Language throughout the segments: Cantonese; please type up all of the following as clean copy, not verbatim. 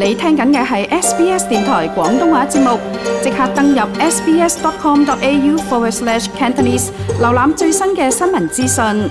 你聽緊嘅係 SBS 電台廣東話節目，即刻登入 sbs.com.au/Cantonese 瀏覽最新嘅新聞資訊。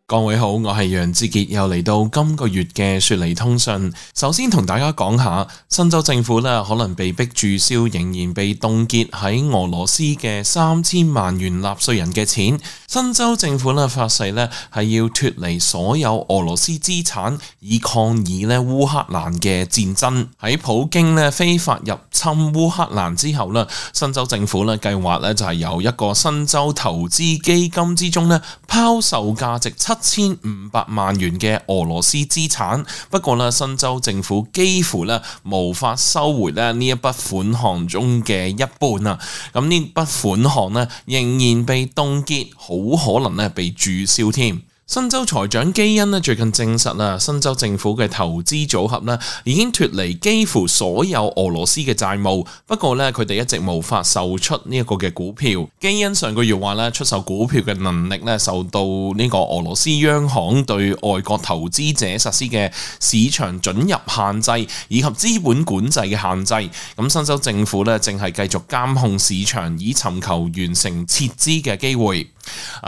各位好，我係楊志傑，又嚟到今個月嘅雪梨通訊。首先同大家講下，新州政府可能被逼註銷仍然被凍結喺俄羅斯嘅3000萬元納稅人嘅錢。新州政府發誓係要脫離所有俄羅斯資產，以抗議烏克蘭嘅戰爭。喺普京非法入侵烏克蘭之後新州政府計劃就係由一個新州投資基金之中拋售價值7500萬元嘅俄羅斯資產，不過新州政府幾乎無法收回呢一筆款項中嘅一半啊！咁呢筆款項仍然被凍結，好可能被註銷添。新州財長基恩最近證實新州政府嘅投資組合已經脫離幾乎所有俄羅斯嘅債務，不過佢哋一直無法售出呢一個嘅股票。基恩上個月話出售股票嘅能力受到呢個俄羅斯央行對外國投資者實施嘅市場准入限制以及資本管制嘅限制。咁新州政府正係繼續監控市場，以尋求完成撤資嘅機會。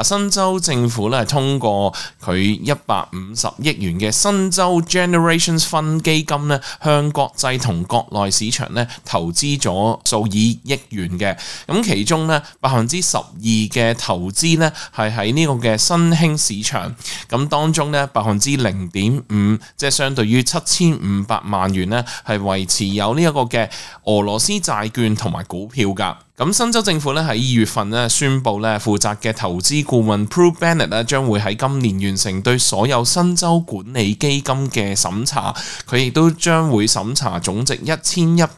新州政府通過佢150億元嘅新州 Generations Fund 基金向國際同國內市場投資咗數以億元嘅，咁其中12%嘅投資係喺呢個嘅新興市場，咁當中0.5%，即係相對於7500萬元係維持有呢一個嘅俄羅斯債券同埋股票㗎。咁新州政府喺2月份宣布負責嘅投資顧問 Prue Bennett 將會喺今年完成對所有新州管理基金嘅審查，佢亦都將會審查總值1120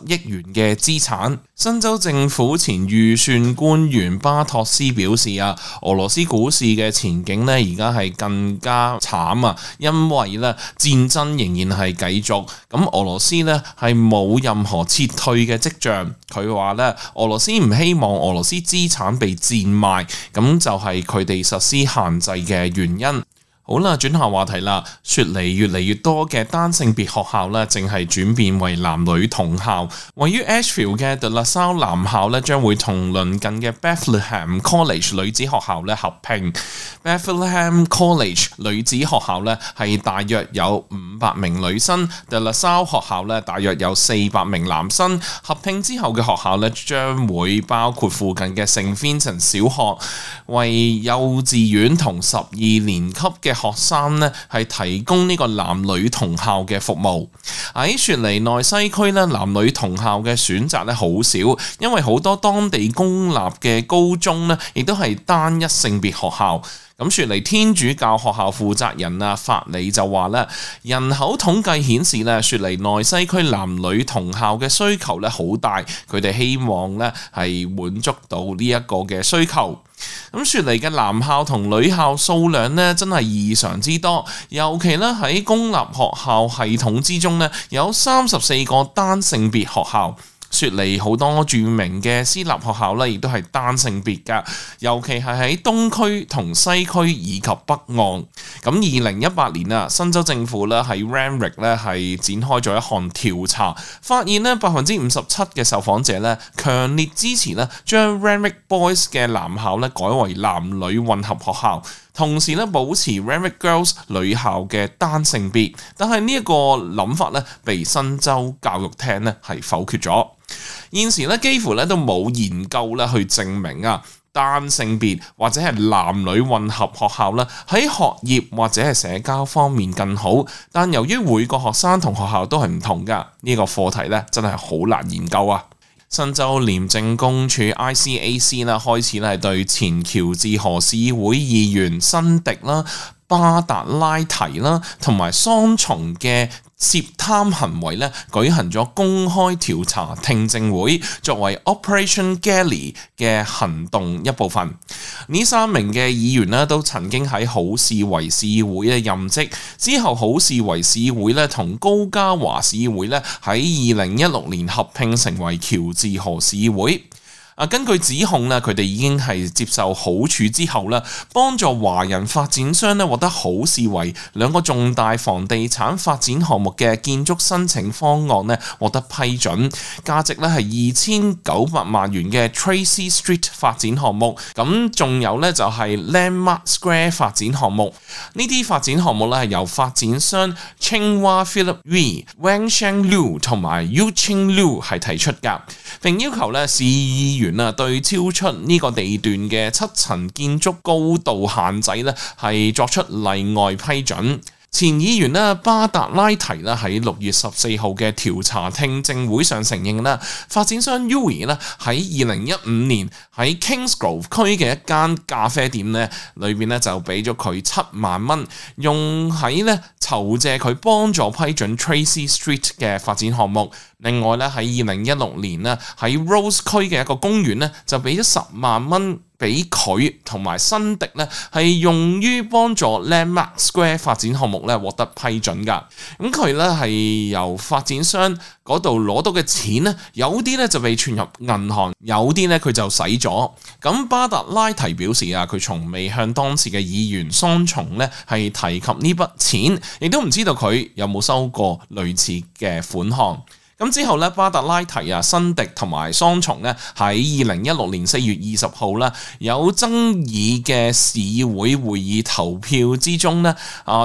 億元嘅資產。新州政府前預算官員巴托斯表示俄羅斯股市嘅前景而家係更加慘啊，因為戰爭仍然係繼續，咁俄羅斯係冇任何撤退嘅跡象。佢話俄羅斯唔希望俄羅斯資產被賤賣，咁就係佢哋實施限制嘅原因。好啦，轉下話題啦。雪梨越嚟越多嘅單性別學校正係轉變為男女同校。位於 Ashfield 嘅 De La Salle 男校將會同鄰近嘅 Bethlehem College 女子學校合併。Bethlehem College 女子學校係大約有500名女生， De La Salle 學校大約有400名男生。合併之後嘅學校將會包括附近嘅聖 Vincent 小學，為幼稚園同12年級嘅學生係提供呢個男女同校嘅服務。喺雪梨內西區男女同校嘅選擇好少，因為好多當地公立嘅高中亦都係單一性別學校。咁雪梨天主教學校負責人法里就話人口統計顯示雪梨內西區男女同校嘅需求好大，佢哋希望係滿足到呢一個嘅需求。咁雪梨嘅男校同女校數量真係異常之多，尤其喺公立學校系統之中有34個單性別學校。雪梨好多著名嘅私立學校亦都係單性別㗎，尤其係喺東區同西區以及北岸。咁2018年新州政府喺 Randwick 係展開咗一項調查，發現57%嘅受訪者強烈支持將 Randwick Boys 嘅男校改為男女混合學校，同時保持 Randwick Girls 女校嘅單性別。但係呢一個諗法被新州教育廳係否決咗。現時幾乎都冇研究去證明單性別或者係男女混合學校喺學業或者係社交方面更好，但由於每個學生同學校都係唔同㗎，呢個課題真係好難研究啊。新州廉政公署 ICAC 開始係對前喬治河市會議員辛迪巴達拉提同埋桑松嘅涉貪行為舉行咗公開調查聽證會，作為 Operation Gally 嘅行動一部分。呢3名嘅議員都曾經喺好市維市會任職，之後好市維市會同高嘉華市會喺2016年合併成為喬治河市會。根據指控咧，佢哋已經係接受好處之後咧，幫助華人發展商咧獲得好視為兩個重大房地產發展項目嘅建築申請方案咧獲得批准，價值咧係2900萬元嘅 Tracy Street 發展項目，咁仲有咧就係 Landmark Square 發展項目。呢啲發展項目咧係由發展商 Cheng-Hua Philip Wee、Wang Sheng Liu 同埋 Yu-Ching Liu 係提出㗎，並要求咧市議員對超出呢個地段嘅7層建築高度限制咧係作出例外批准。前議員巴達拉提喺6月14號嘅調查聽證會上承認發展商 Uwe 喺2015年喺 Kingsgrove 區嘅一間咖啡店裏邊就俾咗佢7萬蚊，用喺籌借佢幫助批准 Tracy Street 嘅發展項目。另外喺2016年喺 Rose 區嘅一個公園就俾咗10萬蚊俾佢同埋辛迪係用於幫助 Landmark Square 發展項目獲得批准㗎。咁佢係由發展商嗰度攞到嘅錢有啲就被存入銀行，有啲佢就使咗。咁巴達拉提表示佢從未向當時嘅議員桑松係提及呢筆錢，亦都唔知道佢有冇收過類似嘅款項。咁之後巴達拉提辛迪同埋桑松喺2016年4月20號有爭議嘅市會會議投票之中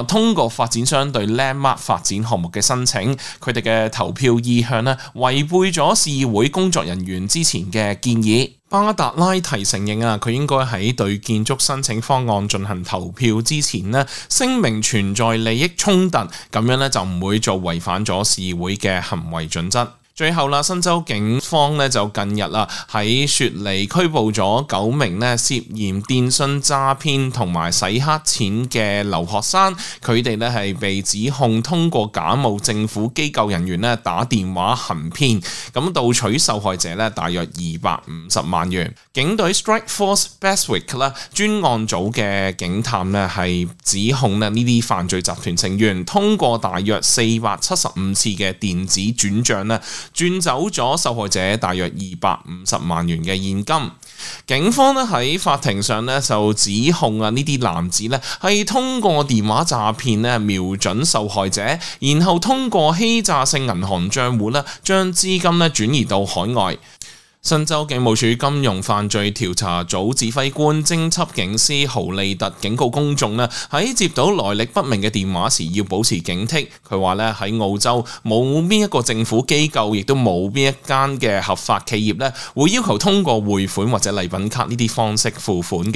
通過發展商對 Landmark 發展項目嘅申請，佢哋嘅投票意向違背咗市會工作人員之前嘅建議。巴達拉提承認佢應該喺對建築申請方案進行投票之前聲明存在利益衝突，咁樣就唔會做違反咗市會嘅行為準則。最後新州警方就近日喺雪梨拘捕咗9名涉嫌電信詐騙同埋洗黑錢嘅留學生，佢哋係被指控通過假冒政府機構人員打電話行騙，咁盜取受害者大約250萬元。警隊 Strike Force Bestwick 專案組嘅警探係指控呢啲犯罪集團成員通過大約475次嘅電子轉賬轉走咗受害者大約250萬元嘅現金。警方喺法庭上就指控呢啲男子係通過電話詐騙瞄準受害者，然後通過欺詐性銀行賬戶將資金轉移到海外。新州警務處金融犯罪調查組指揮官偵緝警司豪利特警告公眾喺接到來歷不明嘅電話時要保持警惕。佢話喺澳洲冇邊一個政府機構，亦都冇邊一間嘅合法企業會要求通過匯款或者禮品卡呢啲方式付款嘅。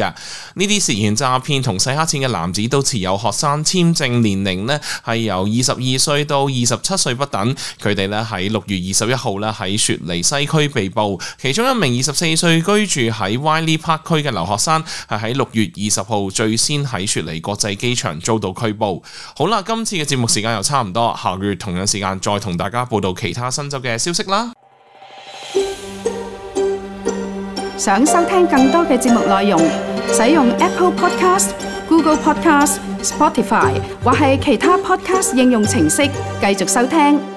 呢啲涉嫌詐騙同洗黑錢嘅男子都持有學生簽證，年齡係由22歲到27歲不等。佢哋喺6月21號喺雪梨西區被捕。其中一名24歲居住喺 Wiley Park 區嘅留學生係喺6月20號最先喺雪梨國際機場遭到拘捕。好啦，今次嘅節目時間又差唔多，下個月同樣時間再同大家報道其他新州嘅消息啦。想收聽更多嘅節目內容，使用 Apple Podcast、Google Podcast、Spotify 或係其他 Podcast 應用程式繼續收聽。